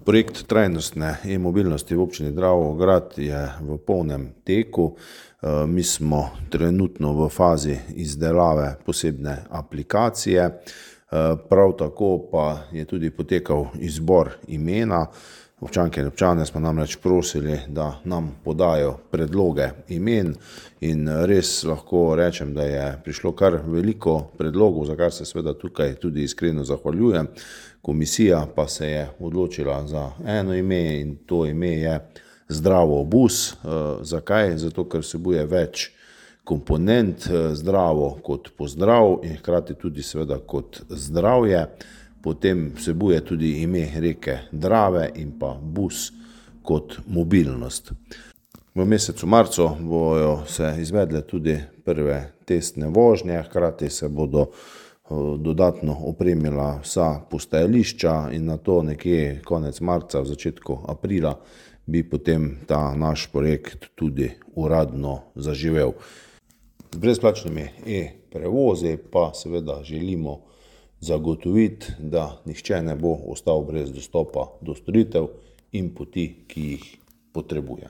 Projekt trajnostne e-mobilnosti v občini Dravograd je v polnem teku. Mi smo trenutno v fazi izdelave posebne aplikacije. Prav tako pa je tudi potekal izbor imena. Občanke in občane smo namreč prosili, da nam podajo predloge imen, in res lahko rečem, da je prišlo kar veliko predlogov, za kar se seveda tukaj tudi iskreno zahvaljujem. Komisija pa se je odločila za eno ime, in to ime je Zdravo bus. Zakaj? Zato, ker vsebuje več komponent, zdravo kot pozdrav in hkrati tudi seveda kot zdravje. Potem vsebuje tudi ime reke Drave in pa bus kot mobilnost. V mesecu marcu bojo se izvedle tudi prve testne vožnje, hkrati se bodo dodatno opremila vsa postajališča in nato nekje konec marca, v začetku aprila bi potem ta naš projekt tudi uradno zaživel. Z brezplačnimi e-prevozi pa seveda želimo zagotoviti, da nihče ne bo ostal brez dostopa do storitev in poti, ki jih potrebuje.